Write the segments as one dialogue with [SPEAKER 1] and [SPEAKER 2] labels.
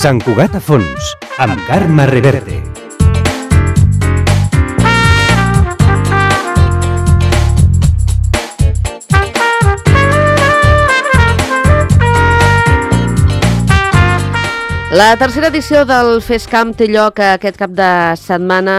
[SPEAKER 1] Sant Cugat a fons, amb Carme Reverte.
[SPEAKER 2] La tercera edició del FESCAM té lloc aquest cap de setmana,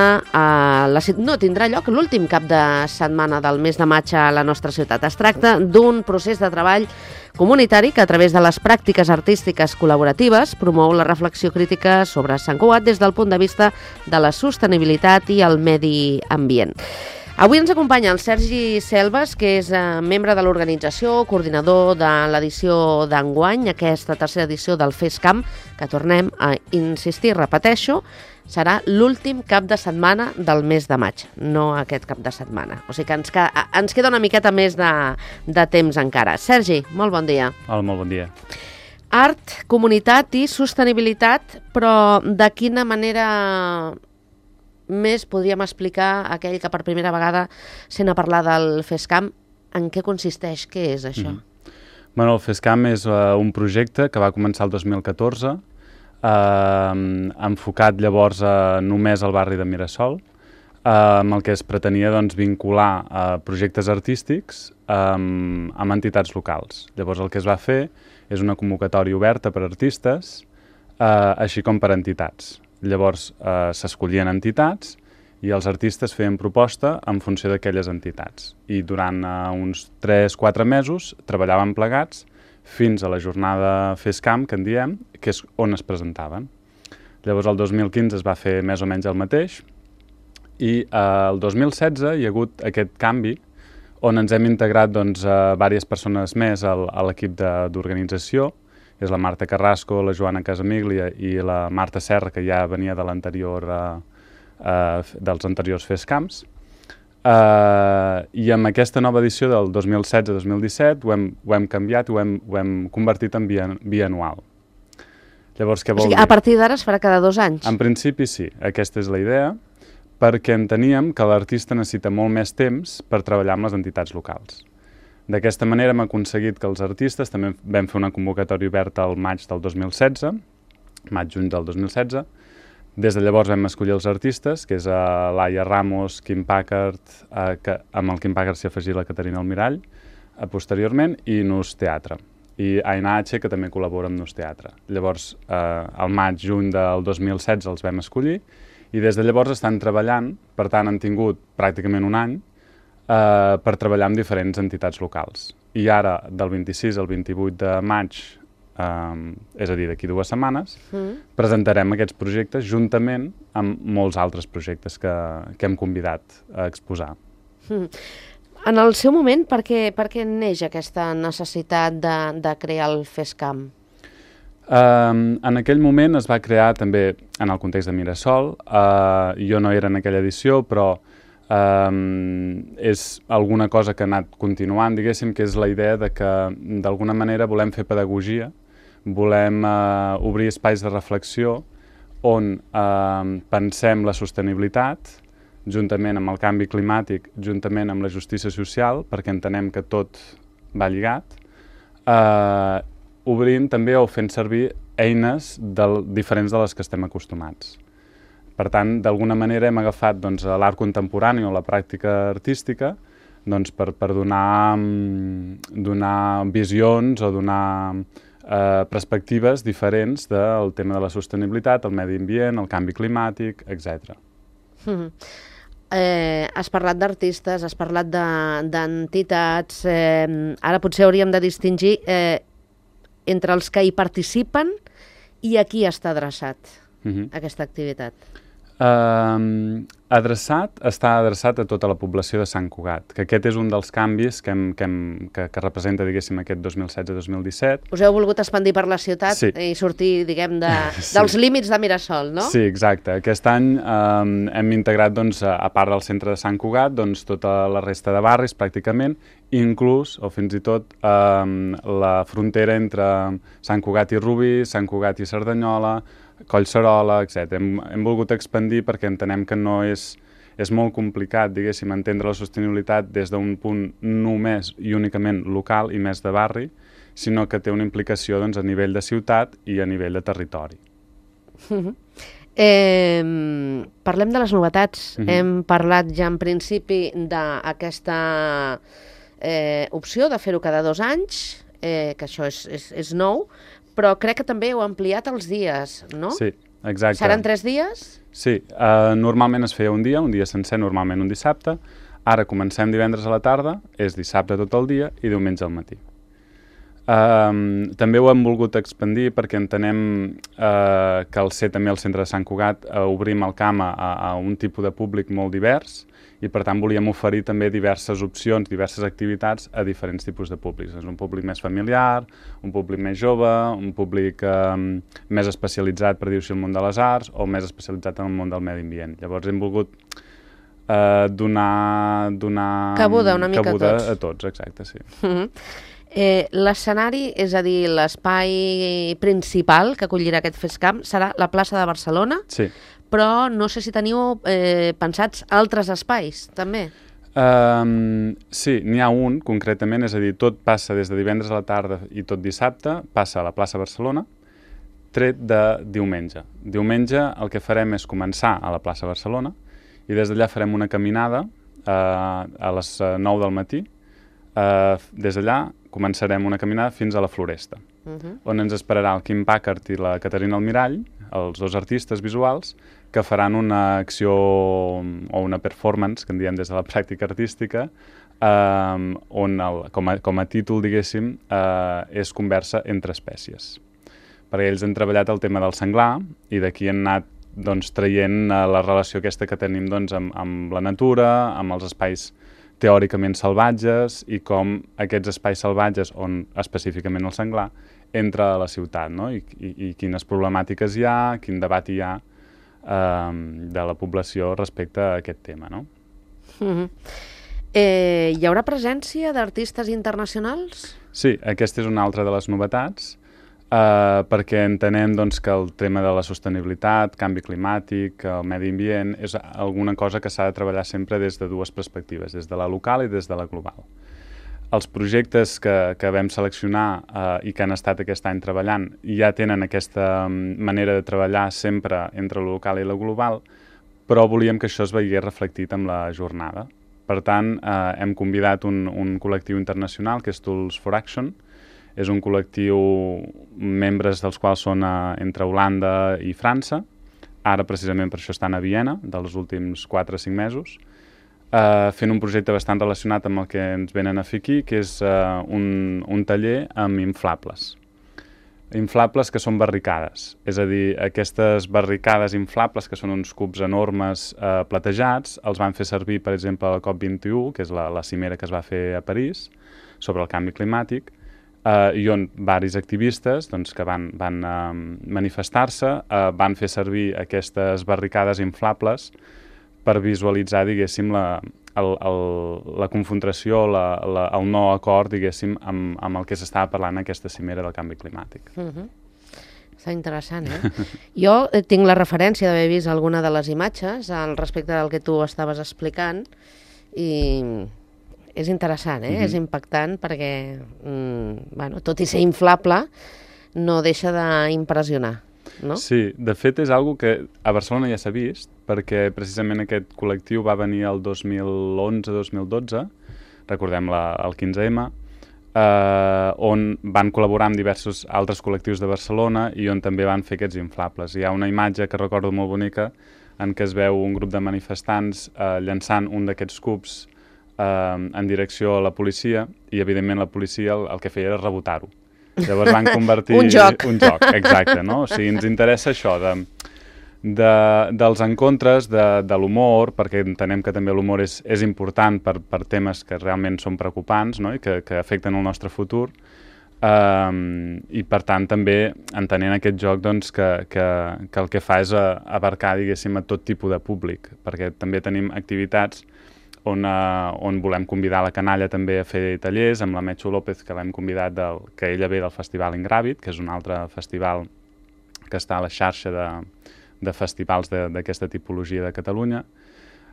[SPEAKER 2] no tindrà lloc l'últim cap de setmana del mes de maig a la nostra ciutat. Es tracta d'un procés de treball comunitari que a través de les pràctiques artístiques col·laboratives promou la reflexió crítica sobre Sant Cugat des del punt de vista de la sostenibilitat i el medi ambient. Avui ens acompanya el Sergi Selves, que és membre de l'organització, coordinador de l'edició d'enguany, aquesta tercera edició del FESCAM, que tornem a insistir, repeteixo, serà l'últim cap de setmana del mes de maig, no aquest cap de setmana. O sigui que ens queda una miqueta més de temps encara. Sergi, molt bon dia.
[SPEAKER 3] Hola, molt bon dia.
[SPEAKER 2] Art, comunitat i sostenibilitat, però de quina manera més podríem explicar a aquell que per primera vegada sent a parlar del FESCAM, en què consisteix, què és això?
[SPEAKER 3] Bueno, el FESCAM és un projecte que va començar el 2014, enfocat llavors només al barri de Mirasol, amb el que es pretenia vincular projectes artístics amb entitats locals. Llavors el que es va fer és una convocatòria oberta per artistes, així com per entitats. Llavors s'escollien entitats i els artistes feien proposta en funció d'aquelles entitats. I durant uns 3-4 mesos treballàvem plegats fins a la jornada FESCAM, que en diem, que és on es presentaven. Llavors el 2015 es va fer més o menys el mateix i el 2016 hi ha hagut aquest canvi on ens hem integrat diverses persones més a l'equip d'organització. És la Marta Carrasco, la Joana Casamiglia i la Marta Serra, que ja venia de dels anteriors FESCAMs. I amb aquesta nova edició del 2016-2017 ho hem canviat i ho hem convertit en bianual. Llavors, què vol dir?
[SPEAKER 2] A partir d'ara es farà cada 2 anys?
[SPEAKER 3] En principi sí, aquesta és la idea, perquè enteníem que l'artista necessita molt més temps per treballar amb les entitats locals. D'aquesta manera hem aconseguit que els artistes, també vam fer una convocatòria oberta al maig del 2016, maig-juny del 2016. Des de llavors vam escollir els artistes, que és Laia Ramos, Kim Packard, que amb el Kim Packard s'hi afegí la Caterina Almirall, posteriorment, i Nus Teatre. I Aina H, que també col·labora amb Nus Teatre. Llavors, al maig-juny del 2016 els vam escollir, i des de llavors estan treballant, per tant han tingut pràcticament un any, per treballar amb diferents entitats locals. I ara, del 26 al 28 de maig, és a dir, d'aquí 2 setmanes, presentarem aquests projectes juntament amb molts altres projectes que hem convidat a exposar.
[SPEAKER 2] En el seu moment, per què neix aquesta necessitat de crear el FESCAM?
[SPEAKER 3] En aquell moment es va crear també en el context de Mirasol. Jo no era en aquella edició, però és alguna cosa que ha anat continuant, diguéssim, que és la idea de que d'alguna manera volem fer pedagogia, volem obrir espais de reflexió on pensem la sostenibilitat, juntament amb el canvi climàtic, juntament amb la justícia social, perquè entenem que tot va lligat, obrint també o fent servir eines diferents de les que estem acostumats. Per tant, d'alguna manera hem agafat l'art contemporani o la pràctica artística per donar visions o donar perspectives diferents del tema de la sostenibilitat, el medi ambient, el canvi climàtic, etc.
[SPEAKER 2] Has parlat d'artistes, has parlat d'entitats, ara potser hauríem de distingir entre els que hi participen i a qui està adreçat aquesta activitat.
[SPEAKER 3] Està adreçat a tota la població de Sant Cugat, que aquest és un dels canvis que representa, diguéssim, aquest 2016-2017.
[SPEAKER 2] Us heu volgut expandir per la ciutat i sortir, diguem, dels límits de Mirasol, no?
[SPEAKER 3] Sí, exacte. Aquest any hem integrat, a part del centre de Sant Cugat, tota la resta de barris, pràcticament, inclús, o fins i tot, la frontera entre Sant Cugat i Rubí, Sant Cugat i Cerdanyola, Collserola, etc. Hem volgut expandir perquè entenem que no és molt complicat, diguéssim, entendre la sostenibilitat des d'un punt només i únicament local i més de barri, sinó que té una implicació a nivell de ciutat i a nivell de territori.
[SPEAKER 2] Parlem de les novetats. Hem parlat ja en principi d'aquesta opció de fer-ho cada 2 anys, que això és nou, però crec que també heu ampliat els dies, no?
[SPEAKER 3] Sí, exacte.
[SPEAKER 2] Seran 3 dies?
[SPEAKER 3] Sí, normalment es feia un dia sencer, normalment un dissabte. Ara comencem divendres a la tarda, és dissabte tot el dia i diumenge al matí. També ho hem volgut expandir perquè entenem que al ser també al centre de Sant Cugat obrim el camp a un tipus de públic molt divers i per tant volíem oferir també diverses opcions, diverses activitats a diferents tipus de públics. És un públic més familiar, un públic més jove, un públic més especialitzat, per dir-ho així, al món de les arts o més especialitzat en el món del medi ambient. Llavors hem volgut donar
[SPEAKER 2] cabuda una mica
[SPEAKER 3] a tots, exacte, sí.
[SPEAKER 2] L'escenari, és a dir, l'espai principal que acollirà aquest FESCAM serà la plaça de Barcelona,
[SPEAKER 3] sí.
[SPEAKER 2] Però no sé si teniu pensats altres espais, també.
[SPEAKER 3] Sí, n'hi ha un, concretament, és a dir, tot passa des de divendres a la tarda i tot dissabte, passa a la plaça Barcelona, tret de diumenge. Diumenge el que farem és començar a la plaça Barcelona i des d'allà farem una caminada a les 9 del matí. Des d'allà començarem una caminada fins a la Floresta, on ens esperarà el Quim Packard i la Caterina Almirall, els 2 artistes visuals, que faran una acció o una performance, que en diem des de la pràctica artística, on com a títol, diguéssim, és conversa entre espècies. Perquè ells han treballat el tema del senglar i d'aquí han anat traient la relació aquesta que tenim amb la natura, amb els espais teòricament salvatges i com aquests espais salvatges, on específicament el senglar, entra a la ciutat, no? I quines problemàtiques hi ha, quin debat hi ha de la població respecte a aquest tema, no?
[SPEAKER 2] Hi haurà presència d'artistes internacionals?
[SPEAKER 3] Sí, aquesta és una altra de les novetats, perquè entenem que el tema de la sostenibilitat, canvi climàtic, el medi ambient, és alguna cosa que s'ha de treballar sempre des de 2 perspectives, des de la local i des de la global. Els projectes que vam seleccionar i que han estat aquest any treballant ja tenen aquesta manera de treballar sempre entre la local i la global, però volíem que això es veiés reflectit amb la jornada. Per tant, hem convidat un col·lectiu internacional que és Tools for Action. És un col·lectiu, membres dels quals són entre Holanda i França. Ara, precisament, per això estan a Viena, dels últims 4 o 5 mesos, fent un projecte bastant relacionat amb el que ens venen a fer aquí, que és un taller amb inflables. Inflables que són barricades, és a dir, aquestes barricades inflables, que són uns cubs enormes platejats, els van fer servir, per exemple, a la COP21, que és la cimera que es va fer a París, sobre el canvi climàtic, i on varis activistes que van manifestar-se, van fer servir aquestes barricades inflables per visualitzar, diguéssim, la confrontació, el no acord, diguéssim, amb el que s'estava parlant en aquesta cimera del canvi climàtic.
[SPEAKER 2] Està interessant, Jo tinc la referència d'haver vist alguna de les imatges al respecte del que tu estaves explicant i és interessant, és impactant perquè, tot i ser inflable, no deixa d'impressionar, no?
[SPEAKER 3] Sí, de fet és algo que a Barcelona ja s'ha vist, perquè precisament aquest col·lectiu va venir el 2011-2012, recordem el 15M, on van col·laborar amb diversos altres col·lectius de Barcelona i on també van fer aquests inflables. Hi ha una imatge que recordo molt bonica en què es veu un grup de manifestants llançant un d'aquests cubs en direcció a la policia i, evidentment, la policia el que feia era rebotar-ho. Llavors van convertir...
[SPEAKER 2] Un joc,
[SPEAKER 3] exacte, no? O sigui, ens interessa això dels encontres, de l'humor, perquè entenem que també l'humor és important per temes que realment són preocupants, no? I que afecten el nostre futur. I, per tant, també entenent aquest joc que el que fa és abarcar, diguéssim, a tot tipus de públic, perquè també tenim activitats on volem convidar la canalla també a fer tallers, amb la Metxo López, que l'hem convidat, que ella ve del Festival Ingràvid, que és un altre festival que està a la xarxa de festivals d'aquesta tipologia de Catalunya,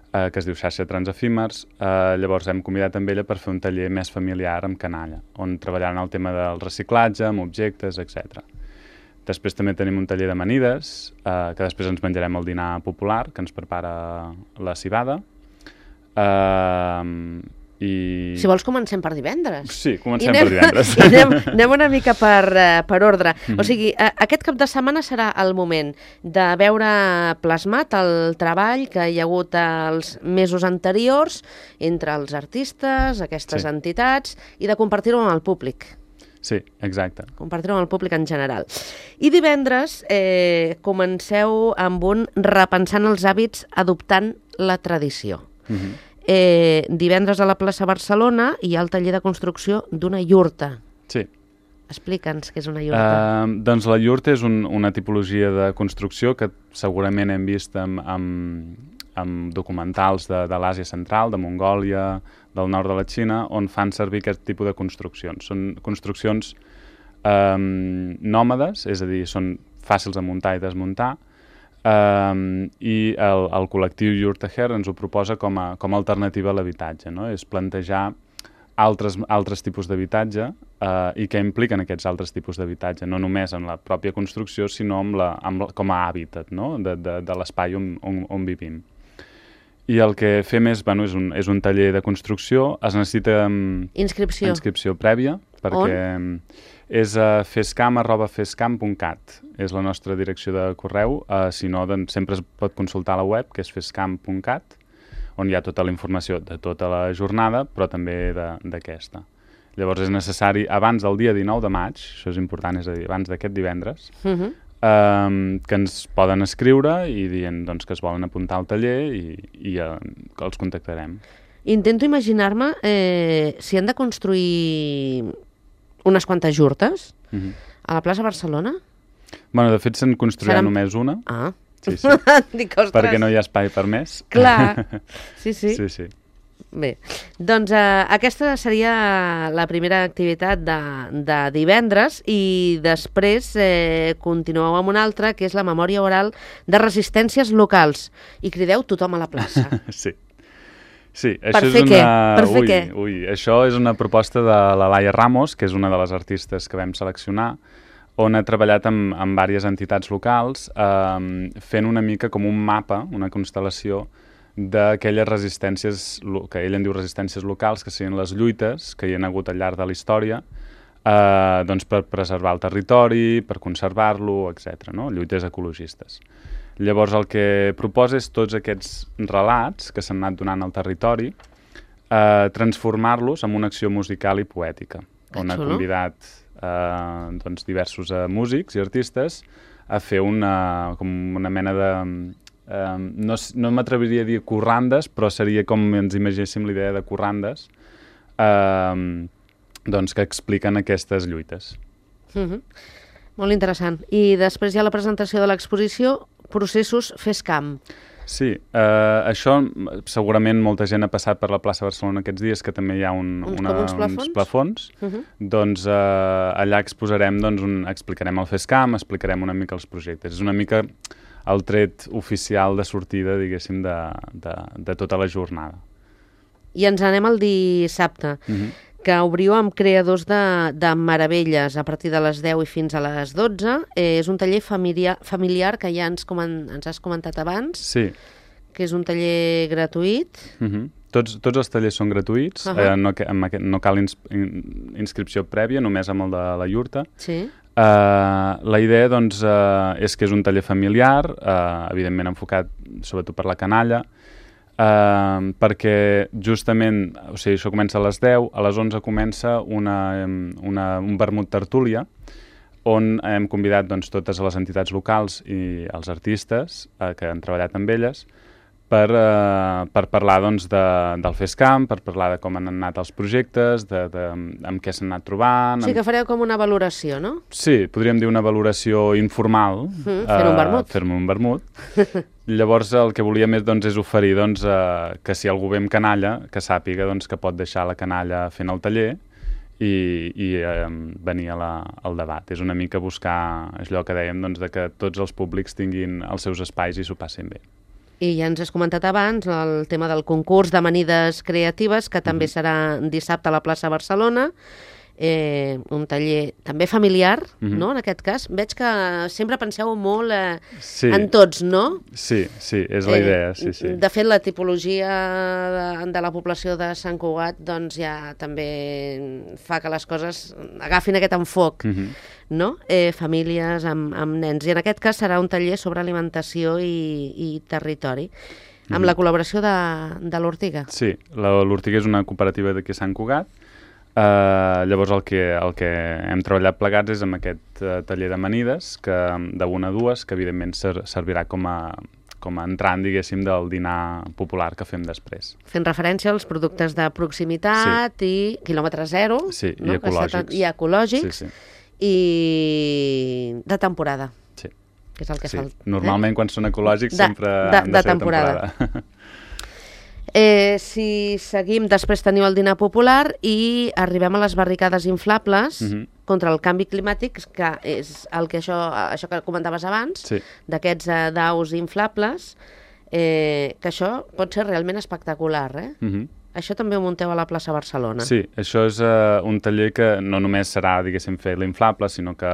[SPEAKER 3] que es diu Xarxa Transefímers. Llavors hem convidat també ella per fer un taller més familiar amb canalla, on treballaran el tema del reciclatge, amb objectes, etc. Després també tenim un taller d'amanides, que després ens menjarem el dinar popular, que ens prepara la civada.
[SPEAKER 2] Si vols, comencem per divendres.
[SPEAKER 3] Sí, comencem per divendres.
[SPEAKER 2] Anem una mica per ordre. O sigui, aquest cap de setmana serà el moment de veure plasmat el treball que hi ha hagut els mesos anteriors entre els artistes, aquestes entitats, i de compartir-ho amb el públic.
[SPEAKER 3] Sí, exacte.
[SPEAKER 2] Compartir-ho amb el públic en general. I divendres comenceu amb un repensant els hàbits adoptant la tradició. Divendres a la plaça Barcelona hi ha el taller de construcció d'una iurta.
[SPEAKER 3] Sí.
[SPEAKER 2] Explica'ns què és una iurta.
[SPEAKER 3] Doncs la iurta és una tipologia de construcció que segurament hem vist amb documentals de l'Àsia Central, de Mongòlia, del nord de la Xina, on fan servir aquest tipus de construccions. Són construccions nòmades, és a dir, són fàcils de muntar i desmuntar, i el col·lectiu Yurtaher ens ho proposa com a alternativa a l'habitatge, no? És plantejar altres tipus d'habitatge i què impliquen aquests altres tipus d'habitatge, no només en la pròpia construcció, sinó com a hàbitat, no? de l'espai on vivim. I el que fem és un taller de construcció, es necessita inscripció prèvia, perquè és a fescam@fescam.cat, és la nostra direcció de correu, si no sempre es pot consultar a la web, que és fescam.cat, on hi ha tota la informació de tota la jornada, però també d'aquesta. Llavors és necessari, abans del dia 19 de maig, això és important, és a dir, abans d'aquest divendres, que ens poden escriure i dient que es volen apuntar al taller i els contactarem.
[SPEAKER 2] Intento imaginar-me si han de construir unes quantes jurtes a la plaça Barcelona.
[SPEAKER 3] Bueno, de fet se'n construirà només una.
[SPEAKER 2] Ah.
[SPEAKER 3] Sí.
[SPEAKER 2] Dic, ostres.
[SPEAKER 3] Perquè no hi ha espai per més.
[SPEAKER 2] Clar, sí.
[SPEAKER 3] Sí.
[SPEAKER 2] Bé, doncs aquesta seria la primera activitat de divendres i després continueu amb una altra, que és la memòria oral de resistències locals. I crideu tothom a la plaça.
[SPEAKER 3] Sí,
[SPEAKER 2] això és una... Per fer què?
[SPEAKER 3] Això és una proposta de la Laia Ramos, que és una de les artistes que vam seleccionar, on ha treballat amb diverses entitats locals fent una mica com un mapa, una constel·lació d'aquelles resistències, que ell en diu resistències locals, que serien les lluites que hi ha hagut al llarg de la història per preservar el territori, per conservar-lo, etc. No? Lluites ecologistes. Llavors el que proposa és tots aquests relats que s'han anat donant al territori, transformar-los en una acció musical i poètica, on ha convidat diversos músics i artistes a fer com una mena de... no m'atreviria a dir corrandes, però seria com ens imagéssim l'idea de corrandes que expliquen aquestes lluites.
[SPEAKER 2] Molt interessant. I després hi ha la presentació de l'exposició Processos FESCAM.
[SPEAKER 3] Sí, això segurament molta gent ha passat per la plaça Barcelona aquests dies, que també hi ha uns plafons. Doncs allà exposarem, explicarem el FESCAM, explicarem una mica els projectes. És una mica el tret oficial de sortida, diguéssim, de tota la jornada.
[SPEAKER 2] I ens anem al dissabte, que obriu amb creadors de meravelles a partir de les 10 i fins a les 12. És un taller familiar que ja ens has comentat abans, que és un taller gratuït.
[SPEAKER 3] Tots els tallers són gratuïts, no cal inscripció prèvia, només amb el de la iurta. La idea és que és un taller familiar, evidentment enfocat sobretot per la canalla, perquè justament, això comença a les 10, a les 11 comença un vermut tertúlia, on hem convidat totes les entitats locals i els artistes que han treballat amb elles per parlar del FESCAM, per parlar de com han anat els projectes, amb què s'han anat trobant...
[SPEAKER 2] Sí, que fareu com una valoració, no?
[SPEAKER 3] Sí, podríem dir una valoració informal.
[SPEAKER 2] Fer-me un vermut.
[SPEAKER 3] Fer-me un vermut. Llavors el que volíem és oferir que si algú ve amb canalla, que sàpiga que pot deixar la canalla fent el taller i venir al debat. És una mica buscar allò que dèiem, que tots els públics tinguin els seus espais i s'ho passin bé.
[SPEAKER 2] I ja ens has comentat abans el tema del concurs d'amanides creatives, que també serà dissabte a la plaça Barcelona. un taller també familiar, no?, en aquest cas. Veig que sempre penseu molt en tots, no?
[SPEAKER 3] Sí, és la idea, sí.
[SPEAKER 2] De fet, la tipologia de la població de Sant Cugat doncs ja també fa que les coses agafin aquest enfoc, no? Famílies amb nens. I en aquest cas serà un taller sobre alimentació i territori, amb la col·laboració de l'Ortiga. Sí,
[SPEAKER 3] l'Ortiga és una cooperativa d'aquí a Sant Cugat. Llavors el que hem treballat plegats és amb aquest taller d'amanides, de 1 a 2, que evidentment servirà com a entrant, diguéssim, del dinar popular que fem després.
[SPEAKER 2] Fent referència als productes de proximitat i quilòmetre zero,
[SPEAKER 3] i ecològics.
[SPEAKER 2] I ecològics, i de temporada.
[SPEAKER 3] Sí.
[SPEAKER 2] Que és el que
[SPEAKER 3] Normalment quan són ecològics sempre han de ser de temporada.
[SPEAKER 2] Si seguim, després teniu el dinar popular i arribem a les barricades inflables contra el canvi climàtic, que és això que comentaves abans, d'aquests daus inflables, que això pot ser realment espectacular, Això també ho munteu a la plaça Barcelona.
[SPEAKER 3] Sí, això és un taller que no només serà, diguéssim, fer l'inflable, sinó que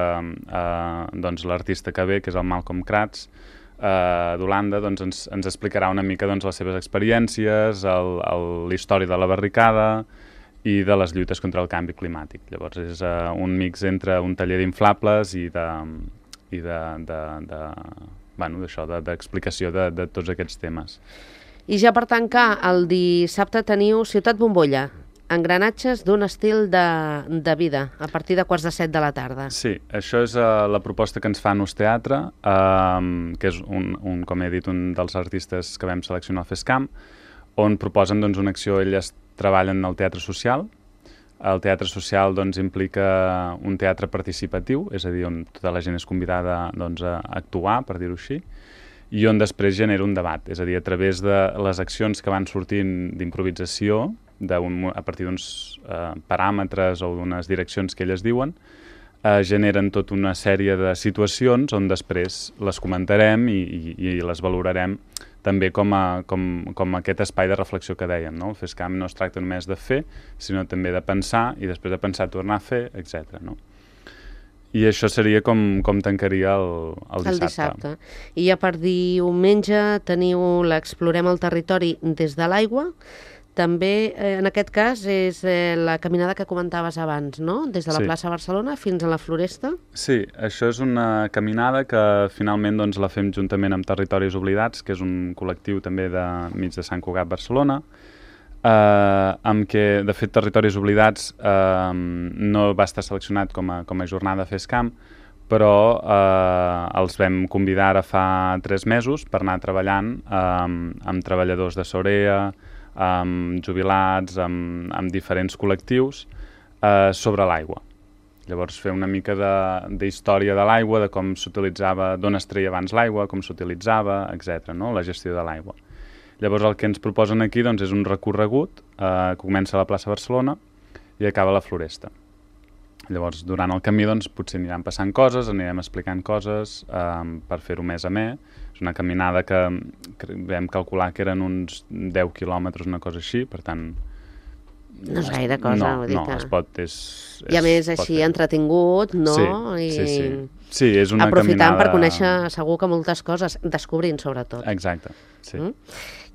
[SPEAKER 3] l'artista que ve, que és el Malcolm Kratz, d'Holanda, doncs ens explicarà una mica les seves experiències, la història de la barricada i de les lluites contra el canvi climàtic. Llavors és un mix entre un taller d'inflables i d'explicació de tots aquests temes.
[SPEAKER 2] I ja per tancar, el dissabte teniu Ciutat Bombolla, engranatges d'un estil de vida, a partir de 6:45 de la tarda.
[SPEAKER 3] Sí, això és la proposta que ens fa Nus Teatre, que és, com he dit, un dels artistes que vam seleccionar al FESCAM, on proposen una acció. Elles treballen al teatre social. El teatre social implica un teatre participatiu, és a dir, on tota la gent és convidada a actuar, per dir-ho així, i on després genera un debat, és a dir, a través de les accions que van sortint d'improvisació, a partir d'uns paràmetres o d'unes direccions que elles diuen, generen tota una sèrie de situacions on després les comentarem i les valorarem també com aquest espai de reflexió que dèiem, no? El FESCAM no es tracta només de fer, sinó també de pensar, i després de pensar tornar a fer, etc. No? I això seria com tancaria el dissabte.
[SPEAKER 2] I ja per diumenge teniu l'Explorem el territori des de l'aigua. També, en aquest cas, és la caminada que comentaves abans, no? Des de la plaça Barcelona fins a la Floresta.
[SPEAKER 3] Sí, això és una caminada que finalment la fem juntament amb Territoris Oblidats, que és un col·lectiu també de mig de Sant Cugat, Barcelona, amb què, de fet, Territoris Oblidats no va estar seleccionat com a jornada FESCAM, però els vam convidar ara fa 3 mesos per anar treballant amb treballadors de Sorea, amb jubilats, amb diferents col·lectius sobre l'aigua. Llavors fer una mica d'història de l'aigua, de com s'utilitzava, d'on es treia abans l'aigua, com s'utilitzava, etc., no? La gestió de l'aigua. Llavors el que ens proposen aquí és un recorregut que comença a la plaça Barcelona i acaba a la Floresta. Llavors durant el camí potser aniran passant coses, anirem explicant coses per fer-ho més amè. És una caminada que vam calcular que eren uns 10 quilòmetres, una cosa així, per tant...
[SPEAKER 2] No és gaire cosa, vull dir que...
[SPEAKER 3] No, es pot...
[SPEAKER 2] I a més així entretingut, no?
[SPEAKER 3] Sí, és una
[SPEAKER 2] aprofitant
[SPEAKER 3] caminada...
[SPEAKER 2] per conèixer segur que moltes coses, descobrint sobretot.
[SPEAKER 3] Exacte, sí.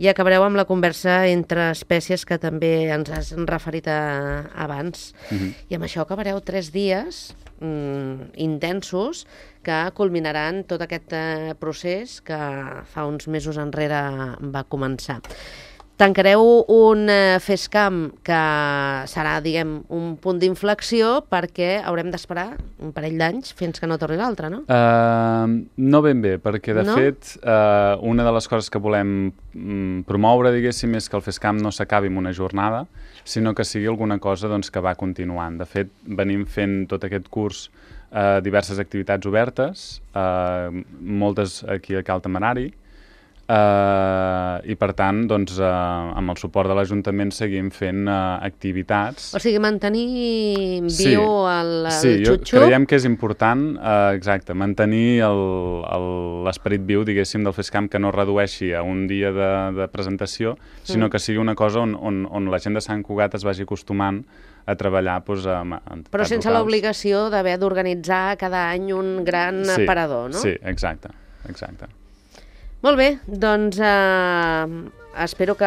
[SPEAKER 2] I acabareu amb la conversa entre espècies que també ens has referit abans. I amb això acabareu 3 dies intensos que culminaran tot aquest procés que fa uns mesos enrere va començar. Tancareu un FESCAM que serà, diguem, un punt d'inflexió perquè haurem d'esperar un parell d'anys fins que no torni l'altre, no?
[SPEAKER 3] No ben bé, perquè de fet una de les coses que volem promoure, diguéssim, és que el FESCAM no s'acabi amb una jornada, sinó que sigui alguna cosa que va continuant. De fet, venim fent tot aquest curs diverses activitats obertes, moltes aquí a Cal Temerari, i per tant, amb el suport de l'Ajuntament seguim fent activitats.
[SPEAKER 2] O sigui, mantenir viu el xup-xup.
[SPEAKER 3] Sí, creiem que és important, exacte, mantenir l'esperit viu, diguéssim, del FESCAM, que no redueixi a un dia de presentació, sinó que sigui una cosa on la gent de Sant Cugat es vagi acostumant a treballar amb entitats
[SPEAKER 2] Però sense
[SPEAKER 3] locals.
[SPEAKER 2] l'obligació d'haver d'organitzar cada any un gran aparador, no?
[SPEAKER 3] Sí, exacte.
[SPEAKER 2] Molt bé, doncs espero que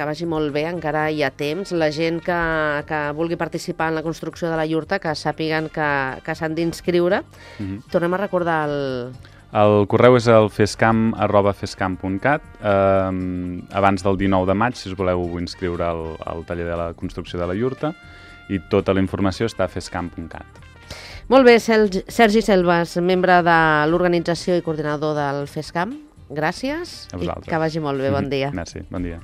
[SPEAKER 2] vagi molt bé, encara hi ha temps. La gent que vulgui participar en la construcció de la iurta, que sàpiguen que s'han d'inscriure. Tornem a recordar
[SPEAKER 3] El correu és el fescam@fescam.cat. Abans del 19 de maig, si us voleu inscriure al taller de la construcció de la iurta, i tota la informació està a fescam.cat.
[SPEAKER 2] Molt bé, Sergi Selves, membre de l'organització i coordinador del FESCAM, gràcies i que vagi molt bé, bon dia.
[SPEAKER 3] Merci, bon dia.